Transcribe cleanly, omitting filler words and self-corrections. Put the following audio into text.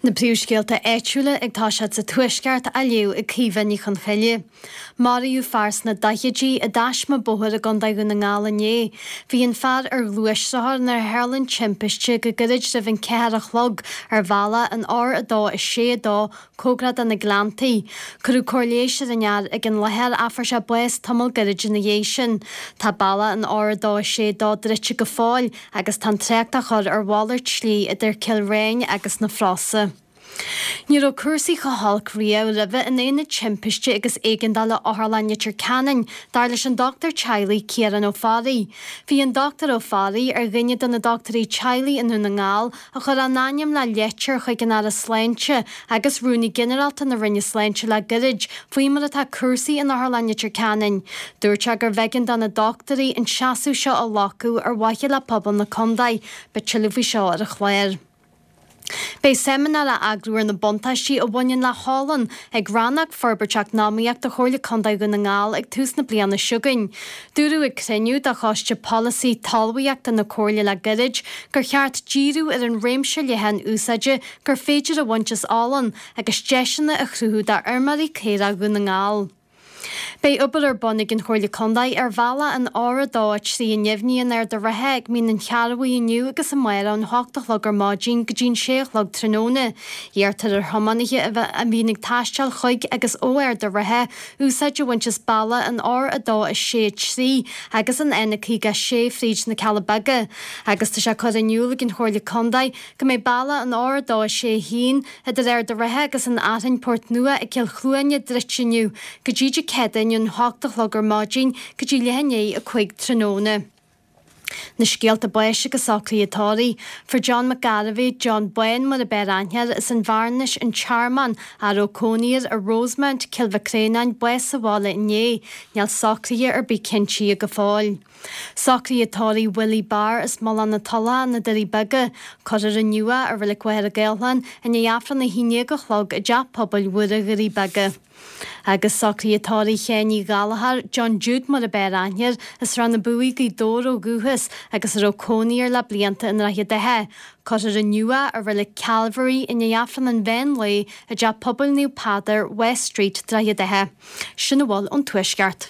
Na príomhscéalta áitiúla ag toiseacht sa Tuaisceart á léamh ag Caoimhe Ní Chonchoille. Maraíodh fear sna daichidí i dtaisme bóthair i gContae Dhún na nGall inné. Bhí an fear ar ghluaisrothar nuair a tharla an timpiste go gairid roimh an 4 a chlog ar bhealach an R2 6 2 cóngarach do na Gleanntaí. Cuireadh cóir leighis ar an fhear ag an láthair ach fuair sé bás tamall gairid ina dhiaidh sin. Tá bealach an R2 6 2 druidte go fóill agus tá an trácht á chur ar mhalairt slí idir Cill Réain agus na Frosa. Ní raibh cúrsaí chomh holc riamh roimhe in Aonad Timpiste agus Éigeandála Otharlann Leitir Ceanainn, dar leis an dochtúir teaghlaigh Ciarán Ó Fearraigh. Bhí an Dr Ó Fearraigh ar dhuine de na dochtúirí teaghlaigh i nDún na nGall a chuir a n-ainm le leitir chuig an Aire Sláinte agus Rúnaí Ginearálta na Roinne Sláinte le gairid faoi mar atá cúrsaí in Otharlann Leitir Ceanainn. Dúirt sé gurbh éigean do na dochtúirí an seasamh seo a ghlacadh ar mhaithe le pobal na contae. Beidh tuilleadh faoi seo ar an chlár. Beidh seimineár á eagrú ar na buntáistí a bhaineann le holann ag Rannóg Forbairt Eacnamaíochta Chomhairle Contae Dhún na nGall ag tús na bliana seo chugainn. Dúradh ag cruinniú de Choiste Polasaí Talmhaíochta na Comhairle le gairid gur cheart díriú ar an réimse leathan úsáide gur féidir a bhaint as olann agus deiseanna a chruthú d'fheirmeoirí caorach Dhún na nGall. Beidh obair ar bun ag an Chomhairle Contae ar bhealach an R2 3 i nDuibhní in Ard a' Rátha ag Mín an Chearbhaigh inniu agus amárach ón 8 a chlog ar maidin go dtí an 6 a chlog tráthnóna. Iarrtar ar thiománaithe a bhíonn ag taisteal chuig agus ó Ard a' Rátha úsáid a bhaint as bealach an R2 6 3 agus an N56 fríd na Cealla Beaga agus tá sé curtha in iúl ag an Chomhairle Contae go mbeidh bealach an R2 6 1 idir Ard a' Rátha agus an Fhearthainn Port Nua ag Cill Chluaine druidte inniu go dtí Dé Céadaoin ón 8 a chlog ar maidin go dtí leath i ndiaidh 5 tráthnóna. Na scéalta báis agus socruithe tórraimh. Fuair John Mac Gairbheith, John Bán mar ab fhearr aithne air, as an Bhearnais, An Tearmann, a raibh cónaí air i Rosemount, Cill Mhic Réanáin, bás sa bhaile inné. Níl socruithe ar bith cinntithe go fóill. Socruithe tórraimh Willie Barr as Mullach na Tulcha, Na Doirí Beaga. Cuirfear inniu é i Reilig Mhachaire Gathlán i ndiaidh Aifreann 11 a chlog i dTeach Pobail Mhuire Dhoirí Beaga. Agus socruithe tórraimh Sheáin Uí Ghallchóir, John Jude mar ab fhearr aithne air, as Srath na Buaidhe, Gaoth Dobhair ó dhúchas agus a raibh cónaí air le blianta i nDroichead Átha. Cuirfear inniu é i Reilig Calvary i ndiaidh Aifreann an mheán lae i dTeach Pobail Naomh Peadar, West Street, Droichead Átha. Sin a bhfuil ón Tuaisceart.